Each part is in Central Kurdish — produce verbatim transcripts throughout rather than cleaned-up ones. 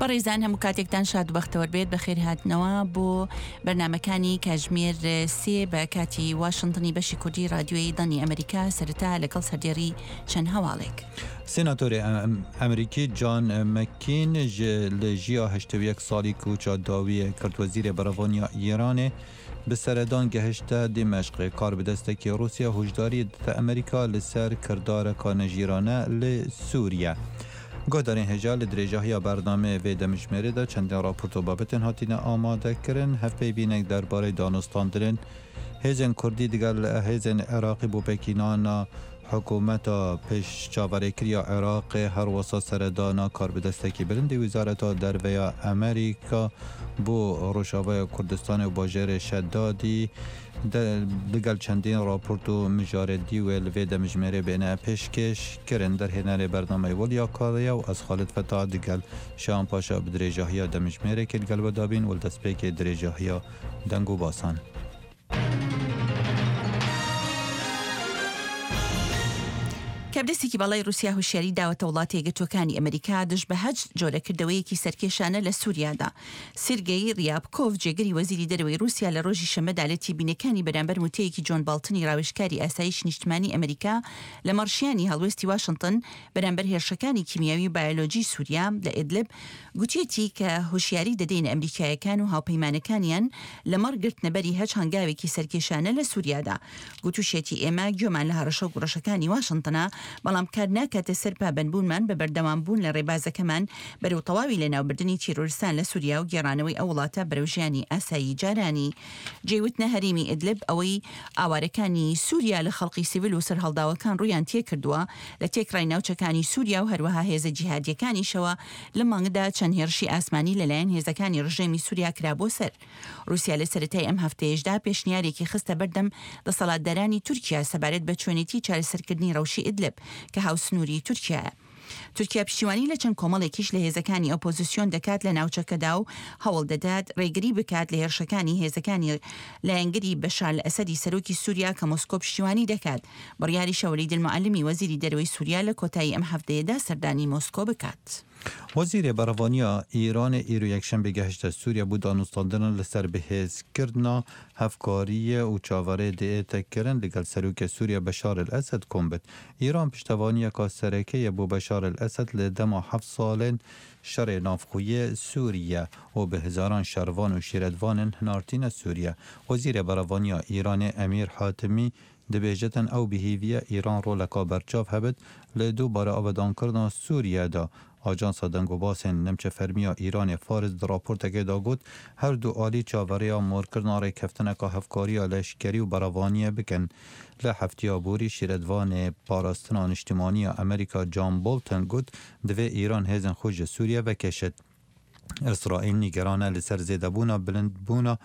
بەڕێزان هەموو کاتێکتان شاد و بەختەوەر بێت. بەخێرهاتنەوە بۆ بەرنامەکانی کاژمێر سێ بە کاتی واشنتنی بەشی کوردی رادیۆی دەنگی ئەمریکا. سەرەتا لەگەڵ سەردێڕی چەند هەواڵێک. سێناتۆرێ ئەمریکی جان مەکین لە ژیا هەشتا و یەک ساڵی کوچا داویە کرد وەزیرێ بەرەڤانیا ئێرانێ bi seredan gehişte Dimeşqê. Karbidestekî Rûsya huşdarî dide Amerîka li ser kirdareka nejîrane li Sûriye. Guhdarên hêja li dirêjahiya bernameyê vê demjimêrê de çendên raport û babetên hatine amadekirin, hevpeyvînek derbarê danûstandinên hêzên Kurdî digel hêzên Iraqî bo pêkînana hikûmeta pêşçaverêkiriya Iraqê, her wisa seredana karbidestekî bilindî Wezareta Derveya Amerîka bo Rojavaya Kurdistanê û bajarê Şeddadî digel çendîn raport û mijarê dî wê li vê demjimêrê bêne pêşkêş kirin. Derhênerê bernameyê Weliya Kariye û ez Xalid Fetah digel Şahan Paşa bi dirêjahiya demjimêrekê li gel we dabîn û li destpêkê dirêjahiya deng û basan. کابدەستێکی باڵای رووسیا هوشیاری داوەتە وڵاتە یەکگرتووەکانی ئەمریکا دژ بە هەچ جۆرەکردەوەیەکی سەرکێشانە لە سووریادا. سێرگەی ریابکۆڤ جێگری وەزیری دەرەوەی رووسیا لە ڕۆژی شەممەدا لە تێبینەکانی بەرامبەر وتەیەکی جۆن باڵتنی ڕاوێژکاری ئاسایش نیشتمانی ئەمریکا لە مەڕشیانی هەڵوێستی واشنتن بەرامبەر هێرشەکانی کیمیاوی و بایۆلۆجی سووریا لە ئیدلب گوتیەتی کە هوشیاری دەدەینە ئەمریکایەکان و هاوپەیمانەکانیان لە مەڕ گرتنەبەری هەچ هەنگاوێکی سەرکێشانە لە سووریادا. گوتوشێتی ئێمە گوێمان لە هەڕەشە و گوڕەشەکانی واشنتنە، بەڵام کار ناکاتە سەر پابەندبوونمان بە بەردەوامبوون لە ڕێبازەکەمان بەرەو تەواوی لەناوبردنی تیرۆرستان لە سووریا و گێڕانەوەی ئەو وڵاتە بەرەو ژیانی ئاسایی جارانی. جێوتنە هەرێمی ئیدلب ئەوەی ئاوارەکانی سووریا لە خەڵقی سیڤیل و سەرهەڵداوەکان ڕوویان تێکردووە لە تێکڕای ناوچەکانی سووریا و هەروەها هێزە جیهادیەکانیشەوە لە مانگدا چەند هێرشی ئاسمانی لەلایەن هێزەکانی ڕژێمی سووریا کرا بۆ سەر. رووسیا لە سەرەتای ئەم هەفتەیەشدا پێشنیارێکی خستە بەردەم دەسەڵاتدارانی تورکیا سەبارەت بە چۆنێتی چارەسەرکردنی ڕەوشی ئیدلب کە هاوسنووری تورکیایە. تورکیا پشتیوانی لە چەند کۆمەڵێکیش لە هێزەکانی ئۆپۆزیسیۆن دەکات لە ناوچەکەدا و هەوڵ دەدات ڕێگری بکات لە هێرشەکانی هێزەکانی لایەنگری بەشار ئەسەدی سەرۆکی سووریا کە مۆسکۆ پشتیوانی دەکات. بڕیاریشە وەلید المعلمی وەزیری دەرەوەی سووریا لە کۆتایی ئەم هەفتەیەدا سەردانی مۆسکۆ بکات. وەزیرێ بەرەڤانیا ئێرانێ ئیرۆ یەکشەمبێ گەهشتە سووریا بۆ دانوستاندنە لەسەر بەهێزکردنا هەفکاریە و چاوەڕێ دێتەکردن لەگەڵ سەرۆکە سووریا بەشار ئەلئەسەد کۆم بێت. ئێران پشتەوانیەکە سەرەکەیە بۆ بەشار ئەلئەسەد لە دەما حەفت ساڵên شەڕێ ناوخۆیی سووریە و بە هەزاران شەڕڤان و شیرەتڤانên هەنارتینە سووریە. وەزیرێ بەرەڤانیا ئێرانێ ئەمیر حاتەمی دەبێژێتن ئەو بهێویە ئێران ڕۆلەکا بەرچاو هەبێت لە دووبارە ئاوەدانکردنا سووریەدا. ئاژانسا دەنگ و باسên نمچە فەرمیya ئێرانێ فارس di راپۆرتەکەدا گوت هەردوو ئالی چاوەڕێیا مۆرکردنا ڕێککەفتنەکە هەفکاریya لەشکەری و بەرەڤانیە بکەن. لە هەفتیا بۆری شیرەتڤانێ پاراستنا نیشتیمانیya ئەمریکا جان بۆڵتن گوت divê ئێران هێزên xwe ji Sûriye vekêşit. ئیسرائیل نیگەرانە لەسەر زێدەبوونا bilindbûna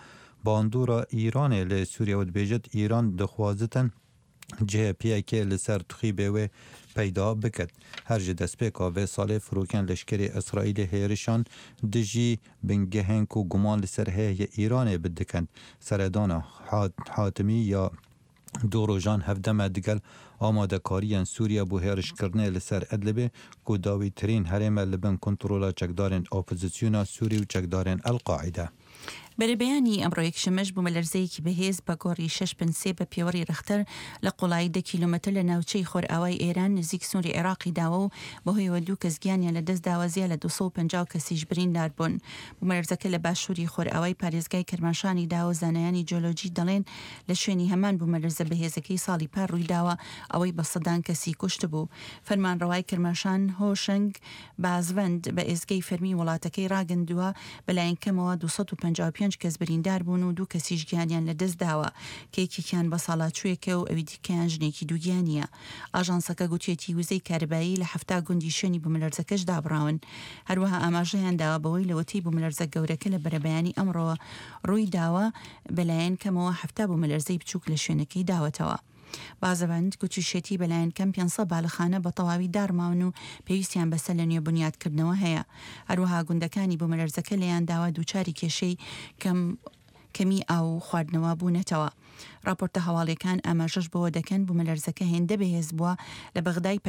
bandora ئێرانێ li Sûriye û dibêjit ئێران dixwazin cihê piyekê li ser tixîbê wê peyda biket. Her ji destpêka vê salê firokên leşkerê İsraîlê hêrişan dijî bingehên ku guman li ser heye Îranê bidikin. Seredana Hatimî ya du rojan hevdeme digel amadekariyên Sûriye bo hêrişkirinê li ser Idlibê ku dawîtirîn herême li bin kontrola çekdarên opozisyona Sûrî û çekdarên El-Qaîde. بەرەبەیانی ئەمڕۆ یەکشەممەش بوومەلەرزەیەکی بەهێز بە گۆڕی شەش پێنج سێ بە پێوەری ڕەختەر لە قوڵایی دە کیلۆمەتر لە ناوچەی خۆرئاوای ئێران نزیک سنووری عێراقی داوە و بەهۆیەوە دوو کەس گیانیان لەدەست داوە، زیاد لە دوو سەد و پەنجا کەسیش بریندار بوون. بوومەلەرزەکە لە باشووری خۆرئاوای پارێزگای کەرماشانی داوە. زانایانی جیۆلۆجی دەڵێن لە شوێنی هەمان بوومەلەرزە بەهێزەکەی ساڵی پار ڕوویداوە، ئەوەی بە سەدان کەسی کوشت بوو. فەرمانڕەوای کرماشان هۆشەنگ بازڤەند بە ئێزگەی فەرمی وڵاتەکەی ڕاگەندووە بەلایەن کەمەوە دوو سەد و پەنجا و پێنج کەس بریندار بوون و دوو کەسیش گیانیان لەدەست داوە کە یەکێکیان بە ساڵاچوویەکە و ئەوی دیکەیان ژنێکی دووگیانیە. ئاژانسەکە گوتیەتی وزەی کارەبایی لە حەفتا گوندی شوێنی بوومەلەرزەکەش دابڕاون. هەروەها ئاماژەیان داوە بەوەی لەوەتەی بوومەلەرزە گەورەکە لە بەرەبەیانی ئەمڕۆوە ڕووی داوە بەلایەن کەمەوە حەفتا بوومەلەرزەی بچووک لە شوێنەکەی داوەتەوە. بازەبند گوتیشێتی بەلایەن کەم پێنج سەد بالەخانە بە تەواوی دارماون و پێویستیان بەسەر لە نوێ بنیادکردنەوە هەیە. هەروەها گوندەکانی بوومەلەرزەکە لێیان داوە دووچاری کێشەی کەم کەمی ئاو خواردنەوە بوونەتەوە. راپۆرتە هەواڵیەکان ئاماژەش بەوە دەکەن بوومەلەرزەکە هێندە بەهێز بووە لە بەغدای